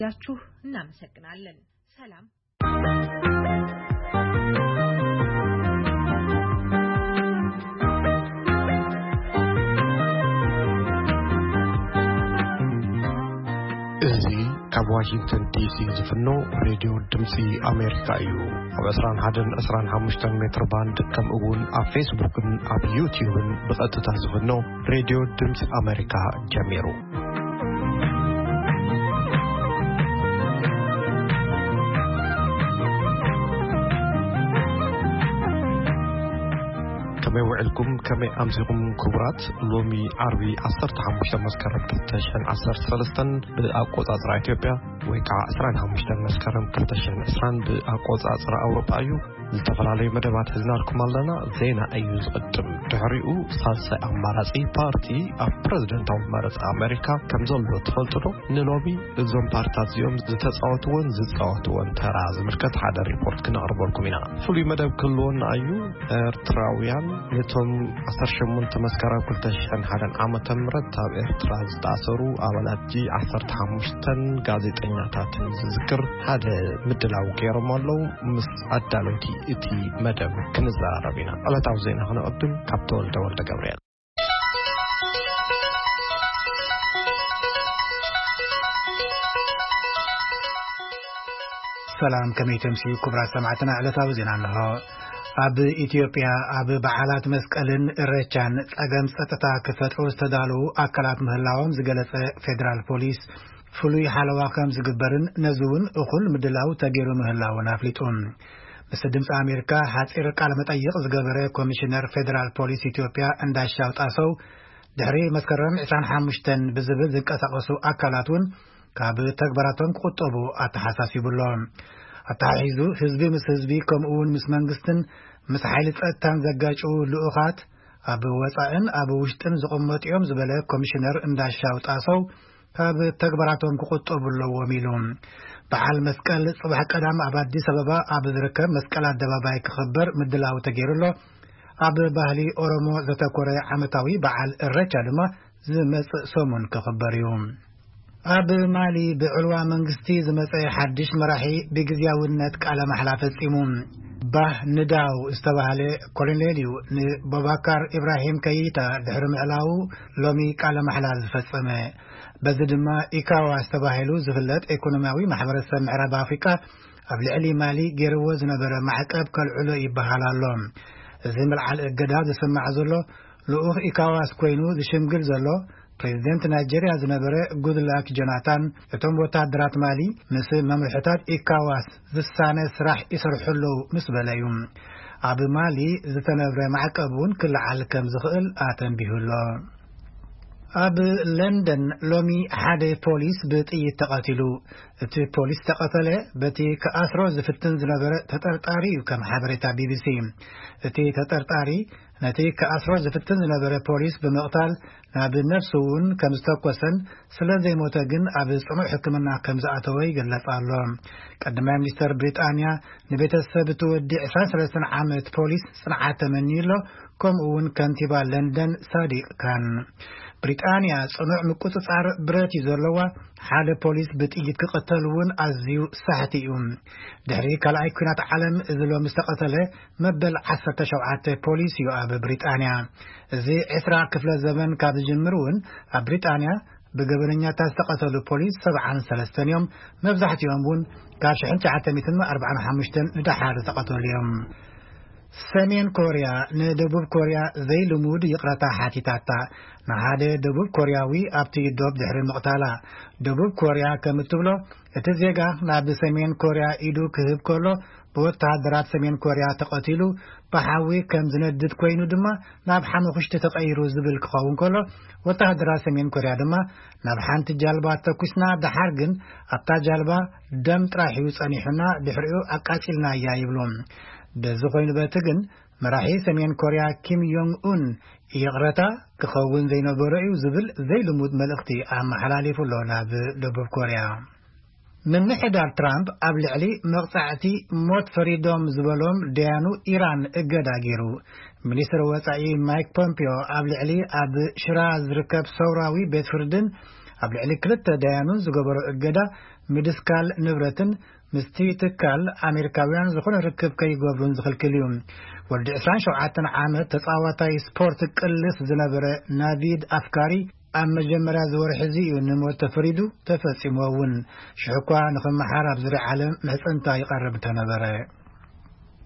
ያችሁ እናመሰግናለን። ሰላም። እዚ ካብ ዋሽንግተን ዲሲ ዝፍኖ ሬድዮ ድምፂ ኣሜሪካ እዩ። ኣብ ዕስራን ሓደን ዕስራን ሓሙሽተን ሜትር ባንድ፣ ከምኡ እውን ኣብ ፌስቡክን ኣብ ዩቲዩብን ብቐጥታ ዝፍኖ ሬድዮ ድምፂ ኣሜሪካ ጀሚሩ። ከመይ ውዕልኩም? ከመይ ኣምሲኹም ክቡራት? ሎሚ ዓርቢ ዓሰርተ ሓሙሽተ መስከረም ክልተ ሽሕን ዓሰርተ ሰለስተን ብኣቆጻጽራ ኢትዮጵያ፣ ወይ ከዓ ዕስራን ሓሙሽተን መስከረም ክልተ ሽሕን ዕስራን ብኣቆጻጽራ ኣውሮጳ እዩ። ዝተፈላለዩ መደባት ሒዝናልኩም ኣለና። ዜና እዩ ዝቕድም። ድሕሪኡ ሳልሳይ ኣማራጺ ፓርቲ ኣብ ፕረዚደንታዊ መረጻ ኣሜሪካ ከም ዘሎ ትፈልጡ ዶ? ንሎሚ እዞም ፓርታት እዚኦም ዝተጻወትዎን ዝጻወትዎን ተራ ዝምልከት ሓደ ሪፖርት ክነቕርበልኩም ኢና። ፍሉይ መደብ ክህልወና እዩ። ኤርትራውያን ነቶም ዓሰርተ ሸሞንተ መስከረም ክልተ ሽሕን ሓደን ዓመተ ምህረት ኣብ ኤርትራ ዝተኣሰሩ ኣባላት ጂ ዓሰርተ ሓሙሽተን ጋዜጠኛታትን ዝዝክር ሓደ ምድላው ገይሮም ኣለዉ። ምስ ኣዳለውቲ እቲ መደብ ክንዘራረብ ኢና። ዕለታዊ ዜና ክነቐድም ካብ ተወልደ ወልደ ገብርኤል። ሰላም፣ ከመይ ተምስዩ ክቡራት ሰማዕትና? ዕለታዊ ዜና ኣለኹ። ኣብ ኢትዮጵያ ኣብ በዓላት መስቀልን እሬቻን ጸገም ጸጥታ ክፈጥሩ ዝተዳለዉ ኣካላት ምህላዎም ዝገለጸ ፌደራል ፖሊስ፣ ፍሉይ ሓለዋ ከም ዝግበርን ነዚ እውን እኹል ምድላው ተገይሩ ምህላውን ኣፍሊጡ። ምስ ድምፂ ኣሜሪካ ሓፂር ቃለ መጠይቕ ዝገበረ ኮሚሽነር ፌደራል ፖሊስ ኢትዮጵያ እንዳሻው ጣሰው፣ ድሕሪ መስከረም ዕስራን ሓሙሽተን ብዝብል ዝንቀሳቐሱ ኣካላት እውን ካብ ተግባራቶም ክቑጠቡ ኣተሓሳሲቡ ኣሎ። ኣተሓሒዙ፣ ህዝቢ ምስ ህዝቢ ከምኡ እውን ምስ መንግስትን ምስ ሓይሊ ጸጥታን ዘጋጭዉ ልኡኻት ኣብ ወጻእን ኣብ ውሽጥን ዝቕመጡ እዮም ዝበለ ኮሚሽነር እንዳሻው ጣሰው፣ ካብ ተግባራቶም ክቑጠቡ ኣለዎም ኢሉ። በዓል መስቀል ጽባሕ ቀዳም ኣብ ኣዲስ ኣበባ ኣብ ዝርከብ መስቀል ኣደባባይ ክኽበር ምድላው ተገይሩ ኣሎ። ኣብ ባህሊ ኦሮሞ ዘተኮረ ዓመታዊ በዓል እሬቻ ድማ ዝመጽእ ሰሙን ክኽበር እዩ። ኣብ ማሊ ብዕልዋ መንግስቲ ዝመጸ ሓድሽ መራሒ ብግዝያውነት ቃለ ማሕላ ፈጺሙ። ባህ ንዳው ዝተባህለ ኮሎኔል እዩ ንቦባካር ኢብራሂም ከይታ ድሕሪ ምዕላዉ ሎሚ ቃለ ማሕላ ዝፈጸመ። በዚ ድማ ኢካዋስ ተባሂሉ ዝፍለጥ ኢኮኖሚያዊ ማሕበረሰብ ምዕራብ ኣፍሪቃ ኣብ ልዕሊ ማሊ ገይርዎ ዝነበረ ማዕቀብ ከልዕሎ ይበሃል ኣሎ። እዚ ምልዓል እገዳ ዝስማዕ ዘሎ ልኡኽ ኢካዋስ ኮይኑ ዝሽምግል ዘሎ ፕሬዚደንት ናይጄርያ ዝነበረ ጉድላክ ጆናታን፣ እቶም ወታደራት ማሊ ምስ መምርሕታት ኢካዋስ ዝሳነ ስራሕ ይሰርሑ ኣለዉ ምስ በለ እዩ። ኣብ ማሊ ዝተነብረ ማዕቀብ እውን ክለዓል ከም ዝኽእል ኣተንቢሁ ኣሎ። ኣብ ለንደን ሎሚ ሓደ ፖሊስ ብጥይት ተቐቲሉ። እቲ ፖሊስ ተቐተለ በቲ ክኣስሮ ዝፍትን ዝነበረ ተጠርጣሪ እዩ፣ ከም ሓበሬታ ቢቢሲ። እቲ ተጠርጣሪ ነቲ ክኣስሮ ዝፍትን ዝነበረ ፖሊስ ብምቕታል ናብ ነፍሱ እውን ከም ዝተኮሰን ስለ ዘይሞተ ግን ኣብ ጽኑዕ ሕክምና ከም ዝኣተወ ይግለጽ ኣሎ። ቀዳማይ ሚኒስተር ብሪጣንያ ንቤተሰብ እቲ ወዲ ዕስራን ሰለስተን ዓመት ፖሊስ ጽንዓት ተመንዩ ኣሎ፣ ከምኡ እውን ከንቲባ ለንደን ሳዲቅ ካን። ብሪጣንያ ጽኑዕ ምቁጽጻር ብረት እዩ ዘለዋ። ሓደ ፖሊስ ብጥይት ክቐተል እውን ኣዝዩ ሳሕቲ እዩ። ድሕሪ ካልኣይ ኲናት ዓለም እዚ ሎሚ ዝተቐተለ መበል ዓሰርተ ሸውዓተ ፖሊስ እዩ ኣብ ብሪጣንያ። እዚ ዕስራ ክፍለ ዘመን ካብ ዝጅምር እውን ኣብ ብሪጣንያ ብገበነኛታት ዝተቐተሉ ፖሊስ ሰብዓን ሰለስተን እዮም። መብዛሕትኦም እውን ካብ ሽሕን ትሽዓተ ሚእትን ኣርባዓን ሓሙሽተን ንደሓር ዝተቐተሉ እዮም። ሰሜን ኮርያ ንደቡብ ኮርያ ዘይልሙድ ይቕረታ ሓቲታታ። ንሓደ ደቡብ ኮርያዊ ኣብቲ ዶብ ድሕሪ ምቕታላ። ደቡብ ኮርያ ከም እትብሎ፣ እቲ ዜጋ ናብ ሰሜን ኮርያ ኢዱ ክህብ ከሎ ብወተሃደራት ሰሜን ኮርያ ተቐቲሉ፣ ብሓዊ ከም ዝነድድ ኮይኑ ድማ ናብ ሓመኹሽቲ ተቐይሩ ዝብል ክኸውን ከሎ፣ ወተሃደራት ሰሜን ኮርያ ድማ ናብ ሓንቲ ጃልባ ተኩስና፣ ደሓር ግን ኣብታ ጃልባ ደም ጥራሕ እዩ ጸኒሑና፣ ድሕሪኡ ኣቃጺልናያ ይብሉ። በዚ ኮይኑ በቲ ግን መራሒ ሰሜን ኮርያ ኪም ዮንግ ኡን ይቕረታ ክኸውን ዘይነበሮ እዩ ዝብል ዘይልሙድ መልእኽቲ ኣመሓላሊፉ ኣሎ ናብ ደቡብ ኮርያ። ምምሕዳር ትራምፕ ኣብ ልዕሊ መቕጻዕቲ ሞት ፈሪዶም ዝበሎም ደያኑ ኢራን እገዳ ገይሩ። ሚኒስትር ወጻኢ ማይክ ፖምፒዮ ኣብ ልዕሊ ኣብ ሽራ ዝርከብ ሰውራዊ ቤት ፍርድን ኣብ ልዕሊ ክልተ ደያኑን ዝገበሮ እገዳ ምድስካል ንብረትን ምስቲ ትካል ኣሜሪካውያን ዝኾነ ርክብ ከይገብሩን ዝኽልክል እዩ። ወዲ ዕስራን ሸውዓተን ዓመት ተጻዋታይ ስፖርት ቅልስ ዝነበረ ናቪድ ኣፍካሪ ኣብ መጀመርያ ዝወርሒ እዚ እዩ ንሞት ተፈሪዱ፣ ተፈጺሙ እውን። ሽሕ እኳ ንኽመሓር ኣብ ዙርያ ዓለም ምሕጽንታ ይቐርብ እንተነበረ።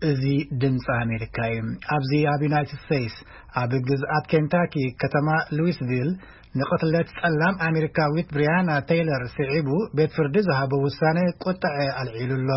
እዚ ድምፂ ኣሜሪካ እዩ። ኣብዚ ኣብ ዩናይትድ ስቴትስ ኣብ ግዝኣት ኬንታኪ ከተማ ሉዊስቪል ንቕትለት ጸላም ኣሜሪካዊት ብሪያና ቴይለር ስዒቡ ቤት ፍርዲ ዝሃቦ ውሳነ ቁጥዐ ኣልዒሉ ኣሎ።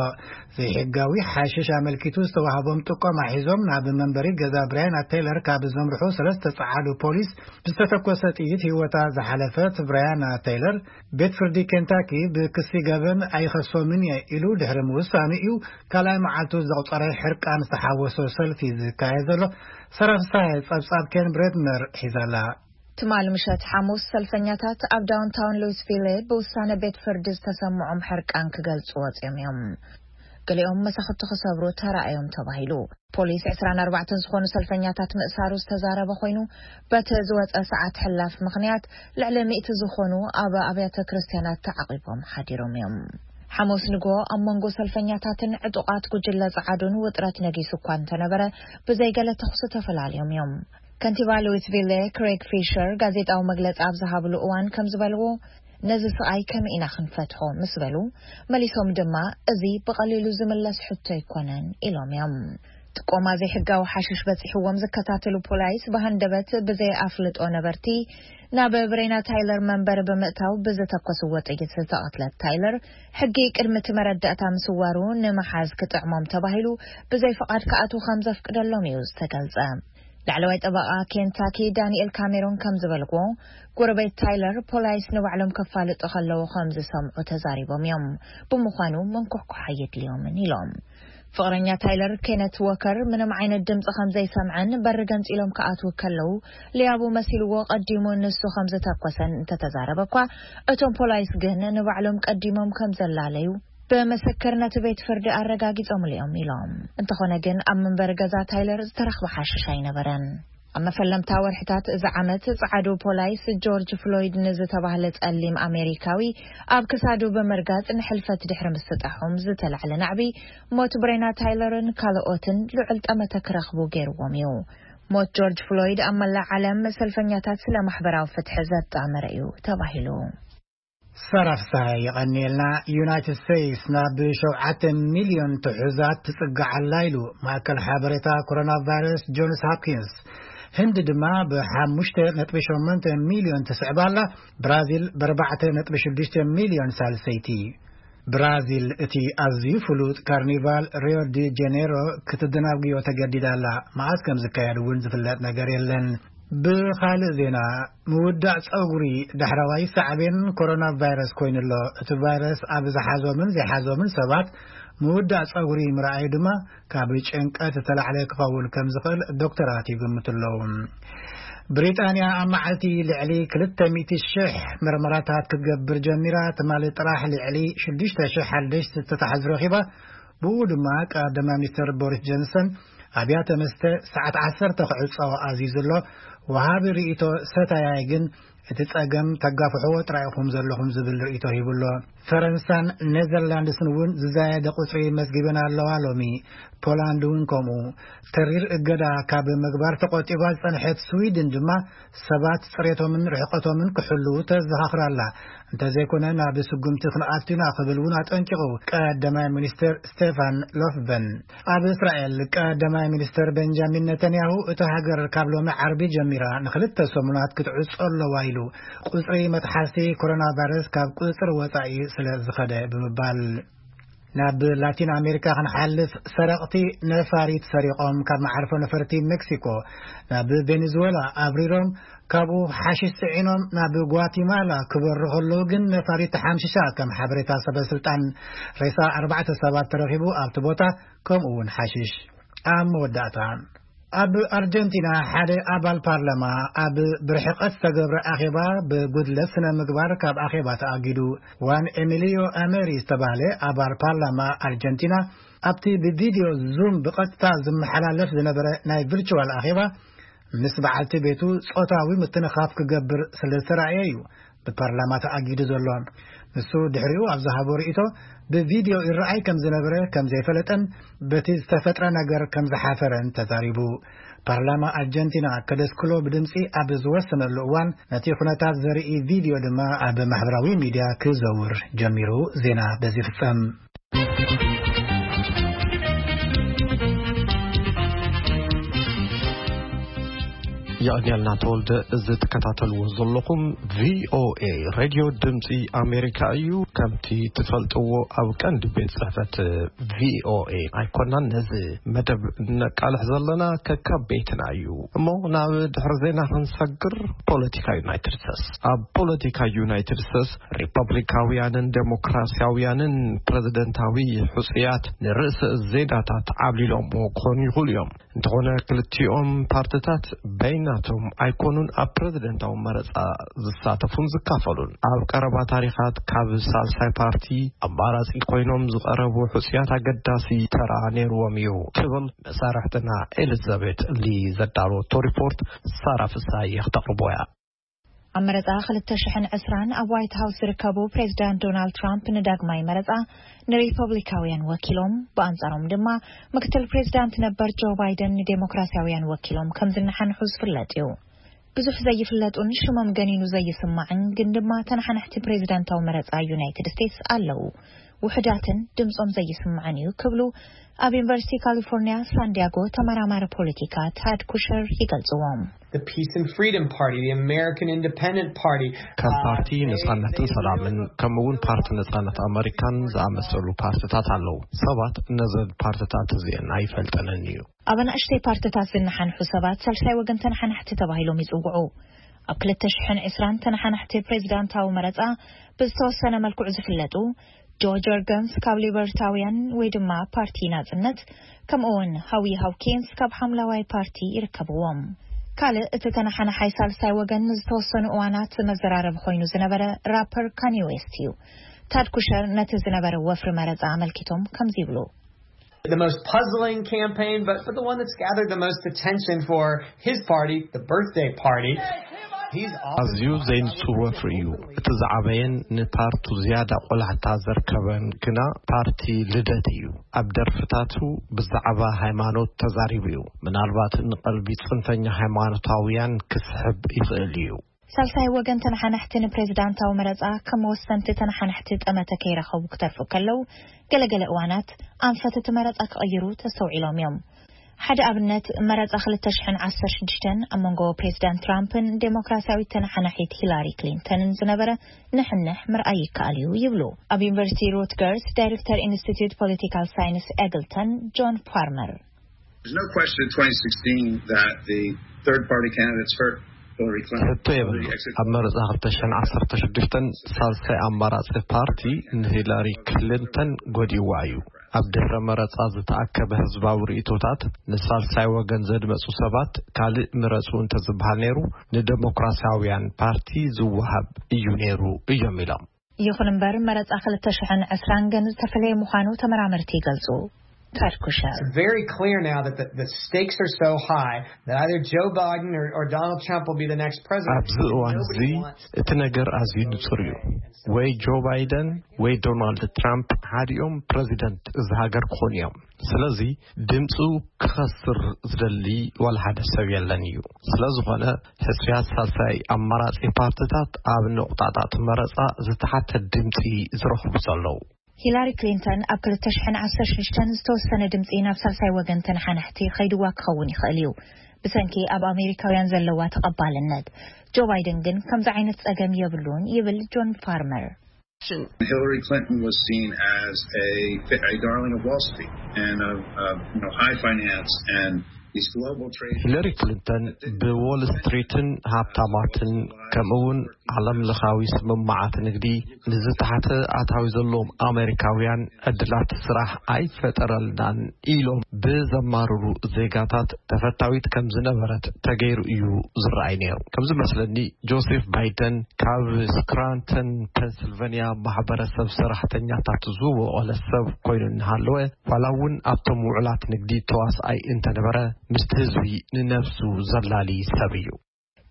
ዘይሕጋዊ ሓሽሽ ኣመልኪቱ ዝተዋህቦም ጥቆማ ሒዞም ናብ መንበሪ ገዛ ብሪያና ቴይለር ካብ ዘምርሑ ሰለስተ ጸዓዱ ፖሊስ ብዝተተኮሰ ጥይት ህይወታ ዝሓለፈት ብሪያና ቴይለር ቤት ፍርዲ ኬንታኪ ብክሲ ገበን ኣይኸሶምን እየ ኢሉ ድሕሪ ምውሳኑ እዩ ካልኣይ መዓልቱ ዘቑጸረ ሕርቃን ዝተሓወሶ ሰልፊ ዝካየድ ዘሎ። ሰራፍሳይ ጸብጻብ ኬን ብሬድነር ሒዛላ። ትማል ምሸት ሓሙስ ሰልፈኛታት ኣብ ዳውንታውን ሉዊስቪል ብውሳነ ቤት ፍርዲ ዝተሰምዖም ሕርቃን ክገልጹ ወጺኦም እዮም። ገሊኦም መሳኹቲ ክሰብሩ ተራእዮም ተባሂሉ። ፖሊስ ዕስራን ኣርባዕተን ዝኾኑ ሰልፈኛታት ምእሳሩ ዝተዛረበ ኮይኑ፣ በቲ ዝወጸ ሰዓት ሕላፍ ምኽንያት ልዕሊ ሚእቲ ዝኾኑ ኣብ ኣብያተ ክርስቲያናት ተዓቒቦም ሓዲሮም እዮም። ሓሙስ ንግሆ ኣብ መንጎ ሰልፈኛታትን ዕጡቓት ጉጅለ ጸዓዱን ውጥረት ነጊሱ እኳ እንተነበረ፣ ብዘይገለ ተኹሲ ተፈላልዮም እዮም። ከንቲባ ሉዊስቪል ክሬግ ፊሸር ጋዜጣዊ መግለጺ ኣብ ዝሃብሉ እዋን ከም ዝበልዎ፣ ነዚ ስቓይ ከመይ ኢና ክንፈትሖ ምስ በሉ፣ መሊሶም ድማ፣ እዚ ብቐሊሉ ዝምለስ ሕቶ ኣይኮነን ኢሎም እዮም። ጥቆማ ዘይሕጋዊ ሓሽሽ በጺሕዎም ዝከታተሉ ፖላይስ ብሃንደበት ብዘይ ኣፍልጦ ነበርቲ ናብ ብሬና ታይለር መንበሪ ብምእታው ብዝተኮስዎ ጥይት ዝተቐትለት ታይለር፣ ሕጊ ቅድሚ እቲ መረዳእታ ምስዋሩ ንምሓዝ ክጥዕሞም ተባሂሉ ብዘይ ፍቓድ ክኣትዉ ከም ዘፍቅደሎም እዩ ዝተገልጸ። ላዕለዋይ ጠበቓ ኬንታኪ ዳንኤል ካሜሮን ከም ዝበልዎ፣ ጎረቤት ታይለር ፖላይስ ንባዕሎም ከፋልጡ ከለዉ ከም ዝሰምዑ ተዛሪቦም እዮም። ብምዃኑ መንኮሕኮሓ የድልዮምን ኢሎም። ፍቕረኛ ታይለር ኬነት ዎከር ምንም ዓይነት ድምፂ ከም ዘይሰምዐን በሪ ገንፂሎም ክኣትዉ ከለዉ ሊያቡ መሲልዎ ቀዲሙ ንሱ ከም ዝተኮሰን እንተተዛረበ እኳ፣ እቶም ፖላይስ ግን ንባዕሎም ቀዲሞም ከም ዘላለዩ ብምስክር ነቲ ቤት ፍርዲ ኣረጋጊጾምሉ እዮም ኢሎም። እንተኾነ ግን ኣብ መንበሪ ገዛ ታይለር ዝተረኽበ ሓሽሽ ኣይነበረን። ኣብ መፈለምታ ወርሕታት እዚ ዓመት ጸዓዱ ፖላይስ ጆርጅ ፍሎይድ ንዝተባህለ ጸሊም ኣሜሪካዊ ኣብ ክሳዱ ብምርጋጽ ንሕልፈት ድሕሪ ምስጣሖም ዝተላዕለ ናዕቢ ሞት ብሬና ታይለርን ካልኦትን ልዑል ጠመተ ክረኽቡ ገይርዎም እዩ። ሞት ጆርጅ ፍሎይድ ኣብ መላእ ዓለም ሰልፈኛታት ስለ ማሕበራዊ ፍትሒ ዘጣመረ እዩ ተባሂሉ። ሰራፍሳይ የቐንየልና። ዩናይትድ ስቴትስ ናብ ሸውዓተ ሚልዮን ትሑዛት ትጽጋዕ ኣላ ኢሉ ማእከል ሓበሬታ ኮሮና ቫይረስ ጆንስ ሆፕኪንስ። ህንዲ ድማ ብ5.8 ሚልዮን ትስዕብ ኣላ። ብራዚል ብ4.6 ሚልዮን ሳልሰይቲ። ብራዚል እቲ ኣዝዩ ፍሉጥ ካርኒቫል ሪዮ ዲ ጀኔሮ ክትደናጉዮ ተገዲዳ ኣላ። መዓስ ከም ዝካየድ እውን ዝፍለጥ ነገር የለን። ብኻልእ ዜና፣ ምውዳእ ጸጉሪ ዳሕረዋይ ሳዕቤን ኮሮና ቫይረስ ኮይኑ ኣሎ። እቲ ቫይረስ ኣብ ዝሓዞምን ዘይሓዞምን ሰባት ምውዳእ ጸጉሪ ምርኣዩ ድማ ካብ ጭንቀት ዝተላዕለ ክኸውን ከም ዝኽእል ዶክተራት ይግምቱ ኣለዉ። ብሪጣንያ ኣብ መዓልቲ ልዕሊ ክልተ ሚእቲ ሽሕ መርመራታት ክትገብር ጀሚራ። ትማሊ ጥራሕ ልዕሊ ሽዱሽተ ሽሕ ሓደሽቲ ዝተታሕዙ ረኺባ። ብኡ ድማ ቀዳማይ ሚኒስተር ቦሪስ ጆንሰን ኣብያተ መስተ ሰዓት ዓሰርተ ክዕጾ ኣዚዙ ኣሎ። ወሃቢ ርእይቶ ሰታያይ ግን እቲ ጸገም ተጋፍሕዎ ጥራይ ኢኹም ዘለኹም ዝብል ርእይቶ ሂቡ ኣሎ። ፈረንሳን ኔዘርላንድስን እውን ዝዛየደ ቁጽሪ መዝጊበን ኣለዋ ሎሚ። ፖላንድ እውን ከምኡ። ተሪር እገዳ ካብ ምግባር ተቖጢባ ዝጸንሐት ስዊድን ድማ ሰባት ጽሬቶምን ርሕቀቶምን ክሕልዉ ተዘኻኽር ኣላ። እንተዘይኮነ ናብ ስጉምቲ ክንኣቱ ኢና ክብል እውን ኣጠንቂቑ ቀዳማይ ሚኒስተር ስቴፋን ሎፍበን። ኣብ እስራኤል ቀዳማይ ሚኒስተር ቤንጃሚን ነተንያሁ እታ ሃገር ካብ ሎሚ ዓርቢ ጀሚራ ንኽልተ ሰሙናት ክትዕጾ ኣለዋ ኢሉ፣ ቁጽሪ መጥሓስቲ ኮሮና ቫይረስ ካብ ቁጽጽር ወጻኢ ስለ ዝኸደ ብምባል። ናብ ላቲን ኣሜሪካ ክንሓልፍ፣ ሰረቕቲ ነፋሪት ሰሪቖም ካብ መዓርፎ ነፈርቲ ሜክሲኮ ናብ ቬኔዙዌላ ኣብሪሮም፣ ካብኡ ሓሽሽ ጽዒኖም ናብ ጓቲማላ ክበሩ ከለዉ ግን ነፋሪት ተሓምሽሻ፣ ከም ሓበሬታ ሰበ ስልጣን። ሬሳ ኣርባዕተ ሰባት ተረኺቡ ኣብቲ ቦታ፣ ከምኡ እውን ሓሽሽ። ኣብ መወዳእታ፣ ኣብ ኣርጀንቲና ሓደ ኣባል ፓርላማ ኣብ ብርሕቐት ዝተገብረ ኣኼባ ብጉድለት ስነ ምግባር ካብ ኣኼባ ተኣጊዱ። ዋን ኤሚሊዮ ኣመሪ ዝተባህለ ኣባል ፓርላማ ኣርጀንቲና ኣብቲ ብቪድዮ ዙም ብቐጥታ ዝመሓላለፍ ዝነበረ ናይ ቪርቹዋል ኣኼባ ምስ በዓልቲ ቤቱ ጾታዊ ምትንኻፍ ክገብር ስለ ዝተራእየ እዩ ብፓርላማ ተኣጊዱ ዘሎ። ንሱ ድሕሪኡ ኣብ ዝሃቦ ርእይቶ፣ ብቪድዮ ይረኣይ ከም ዝነበረ ከም ዘይፈለጠን በቲ ዝተፈጥረ ነገር ከም ዝሓፈረን ተዛሪቡ። ፓርላማ ኣርጀንቲና ከደስክሎ ብድምጺ ኣብ ዝወሰነሉ እዋን፣ ነቲ ኩነታት ዘርኢ ቪድዮ ድማ ኣብ ማሕበራዊ ሚድያ ክዘውር ጀሚሩ። ዜና በዚ ይፍጸም። የቐንየልና ተወልደ። እዚ ትከታተልዎ ዘለኹም ቪኦኤ ሬድዮ ድምፂ ኣሜሪካ እዩ። ከምቲ ትፈልጥዎ፣ ኣብ ቀንዲ ቤት ጽሕፈት ቪኦኤ ኣይኮናን ነዚ መደብ ነቃልሕ ዘለና፣ ከካብ ቤትና እዩ። እሞ ናብ ድሕሪ ዜና ክንሰግር፣ ፖለቲካ ዩናይትድ ስቴትስ። ኣብ ፖለቲካ ዩናይትድ ስቴትስ፣ ሪፐብሊካውያንን ዴሞክራሲያውያንን ፕሬዚደንታዊ ሕጹያት ንርእሰ ዜናታት ዓብሊሎምዎ ክኾኑ ይኽእሉ እዮም። እንተኾነ፣ ክልቲኦም ፓርትታት በይናቶም ኣይኮኑን ኣብ ፕሬዚደንታዊ መረጻ ዝሳተፉን ዝካፈሉን። ኣብ ቀረባ ታሪኻት፣ ካብ ሳልሳይ ፓርቲ ኣማራጺ ኮይኖም ዝቐረቡ ሕጹያት ኣገዳሲ ተራ ነይርዎም እዩ፣ ትብል መሳርሕትና ኤሊዛቤት ሊ ዘዳለወቶ ሪፖርት ሳራ ፍሳየ ክተቕርቦ እያ። ኣብ መረጻ ክልተ ሽሕን ዕስራን ኣብ ዋይት ሃውስ ዝርከቡ ፕሬዚዳንት ዶናልድ ትራምፕ ንዳግማይ መረጻ ንሪፐብሊካውያን ወኪሎም፣ ብኣንጻሮም ድማ ምክትል ፕሬዚዳንት ነበር ጆ ባይደን ንዴሞክራሲያውያን ወኪሎም ከም ዝነሓንሑ ዝፍለጥ እዩ። ብዙሕ ዘይፍለጡን ሽሞም ገኒኑ ዘይስማዕን ግን ድማ ተነሓናሕቲ ፕሬዚዳንታዊ መረጻ ዩናይትድ ስቴትስ ኣለዉ። ውሑዳትን ድምጾም ዘይስማዕን እዩ ክብሉ ኣብ ዩኒቨርሲቲ ካሊፎርኒያ ሳንዲያጎ ተመራማሪ ፖለቲካ ታድ ኩሸር ይገልጽዎም። The Peace and Freedom Party, the American Independent Party. ከም ፓርቲ ነጻነትን ሰላምን፣ ከምኡ እውን ፓርቲ ነጻነት ኣመሪካን ዝኣመሰሉ ፓርትታት ኣለዉ። ሰባት ነዘን ፓርትታት እዚአን ኣይፈልጠንን እዩ። ኣብ ኣናእሽተይ ፓርትታት ዝነሓንሑ ሰባት ሳልሳይ ወገን ተነሓናሕቲ ተባሂሎም ይጽውዑ። ኣብ ክልተ ሽሕን ዕስራን ተነሓናሕቲ ፕሬዚዳንታዊ መረጻ ብዝተወሰነ መልክዑ ዝፍለጡ ጆ ጀርገንስ ካብ ሊበርታውያን ወይ ድማ ፓርቲ ናጽነት፣ ከምኡ እውን ሃዊ ሃውኪንስ ካብ ሓምለዋይ ፓርቲ ይርከብዎም። ካልእ እቲ ተነሓናሓይ ሳልሳይ ወገን ንዝተወሰኑ እዋናት መዘራረቢ ኮይኑ ዝነበረ ራፐር ካኒ ዌስት እዩ። ታድ ኩሸር ነቲ ዝነበረ ወፍሪ መረጻ ኣመልኪቶም ከምዚ ይብሉ። The most puzzling campaign, but, but the one that's gathered the most attention for his party, the birthday party. He's often ኣዝዩ ዘይንጹር ወፍሪ እዩ። እቲ ዝዓበየን ንፓርቱ ዝያዳ ቆላሕታ ዘርከበን ግና ፓርቲ ልደት እዩ። ኣብ ደርፍታቱ ብዛዕባ ሃይማኖት ተዛሪቡ እዩ። ምናልባት ንቐልቢ ጽንፈኛ ሃይማኖታውያን ክስሕብ ይኽእል እዩ። ሳልሳይ ወገን ተነሓናሕቲ ንፕሬዚዳንታዊ መረጻ ከም ወሰንቲ ተነሓናሕቲ ጠመተ ከይረኸቡ ክተርፉ ከለዉ፣ ገለገለ እዋናት ኣንፈት እቲ መረጻ ክቕይሩ ተስተውዒሎም እዮም። ሓደ ኣብነት፣ መረጻ ክልተ ሽሕን ዓሰርተ ሽዱሽተን ኣብ መንጎ ፕሬዚዳንት ትራምፕን ዴሞክራሲያዊት ተነሓናሒት ሂላሪ ክሊንተንን ዝነበረ ንሕንሕ ምርኣይ ይከኣል እዩ ይብሉ ኣብ ዩኒቨርሲቲ ሩትገርስ ዳይሬክተር ኢንስቲትዩት ፖለቲካል ሳይንስ ኤግልተን ጆን ፓርመር። There's no question in twenty sixteen that the third party candidates hurt Hillary Clinton. ሕቶ የብሉ። ኣብ መረጻ ክልተ ሽሕን ዓሰርተ ሽዱሽተን ሳልሳይ ኣማራጺ ፓርቲ ንሂላሪ ክሊንተን ጎዲዋ እዩ። ኣብ ድሕረ መረጻ ዝተኣከበ ህዝባዊ ርእይቶታት ንሳልሳይ ወገን ዘድመጹ ሰባት ካልእ ምረጹ እንተዝበሃል ነይሩ፣ ንደሞክራሲያውያን ፓርቲ ዝወሃብ እዩ ነይሩ እዮም ኢሎም። ይኹን እምበር፣ መረጻ ክልተ ሽሕን ዕስራን ግን ዝተፈለየ ምዃኑ ተመራመርቲ ይገልጹ። ታድ ኩሸር። It's very clear now that the, the stakes are so high that either Joe Biden or, or Donald Trump will be the next president. ኣብዚ እዋን እዚ እቲ ነገር ኣዝዩ ንጹር እዩ። ወይ ጆ ባይደን ወይ ዶናልድ ትራምፕ ሓዲኦም ፕረዚደንት እዚ ሃገር ክኾኑ እዮም። ስለዚ ድምፁ ክኸስር ዝደሊ ዋላ ሓደ ሰብ የለን እዩ። ስለዝኾነ ሕሱያት ሳልሳይ ኣማራጺ ፓርትታት ኣብ ነቑጣታት መረጻ ዝተሓተ ድምፂ ዝረኽቡ ዘለዉ። ሂላሪ ክሊንተን ኣብ ክልተ ሽሕን ዓሰርተ ሽዱሽተን ዝተወሰነ ድምፂ ናብ ሳልሳይ ወገን ተነሓናሕቲ ኸይድዋ ክኸውን ይኽእል እዩ። ብሰንኪ ኣብ ኣሜሪካውያን ዘለዋ ተቐባልነት። ጆ ባይደን ግን ከምዚ ዓይነት ጸገም የብሉን ይብል ጆን ፋርመር። Hillary Clinton was seen as a, a darling of Wall Street and of, of you know, high finance and these global trade. ሂለሪ ክሊንተን ብዎል ስትሪትን ሃብታማትን ከምኡውን ዓለም ለኻዊ ስምምዓት ንግዲ ንዝተሓተ ኣታዊ ዘለዎም ኣሜሪካውያን ዕድላት ስራሕ ኣይፈጠረልናን ኢሎም ብዘማርሩ ዜጋታት ተፈታዊት ከም ዝነበረት ተገይሩ እዩ ዝረኣይ ነይሩ። ከም ዝመስለኒ ጆሴፍ ባይደን ካብ ስክራንተን ፔንስልቨንያ ማሕበረሰብ ሰራሕተኛታት ዝወቐለ ሰብ ኮይኑ እናሃለወ ዋላ እውን ኣብቶም ውዕላት ንግዲ ተዋስኣይ እንተነበረ ምስቲ ህዝቢ ንነብሱ ዘላሊ ሰብ እዩ።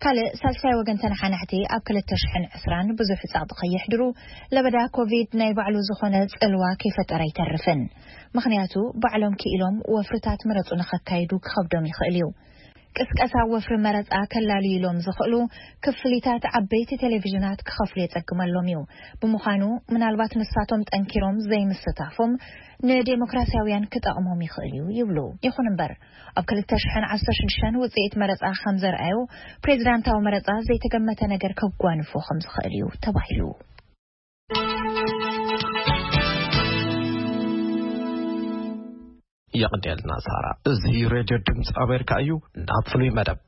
ካልእ ሳልሳይ ወገን ተነሓናሕቲ ኣብ ክልተ ሽሕን ዕስራን ብዙሕ ጸቕጢ ከየሕድሩ ለበዳ ኮቪድ ናይ ባዕሉ ዝኾነ ጽልዋ ከይፈጠረ ኣይተርፍን። ምኽንያቱ ባዕሎም ክኢሎም ወፍርታት መረጹ ንኸካይዱ ክኸብዶም ይኽእል እዩ። ቅስቀሳ ወፍሪ መረጻ ከላልዩሎም ዝኽእሉ ክፍሊታት ዓበይቲ ቴሌቪዥናት ክኸፍሉ የጸግመሎም እዩ። ብምዃኑ ምናልባት ንሳቶም ጠንኪሮም ዘይምስታፎም ንዴሞክራሲያውያን ክጠቕሞም ይኽእል እዩ ይብሉ። ይኹን እምበር ኣብ ክልተ ሽሕን ዓሰርተ ሽዱሽተን ውጽኢት መረጻ ከም ዘርኣዩ ፕሬዚዳንታዊ መረጻ ዘይተገመተ ነገር ከጓንፎ ከም ዝኽእል እዩ ተባሂሉ። የቕንየልና ሳራ። እዚ ሬድዮ ድምፂ ኣሜሪካ እዩ። ናብ ፍሉይ መደብ።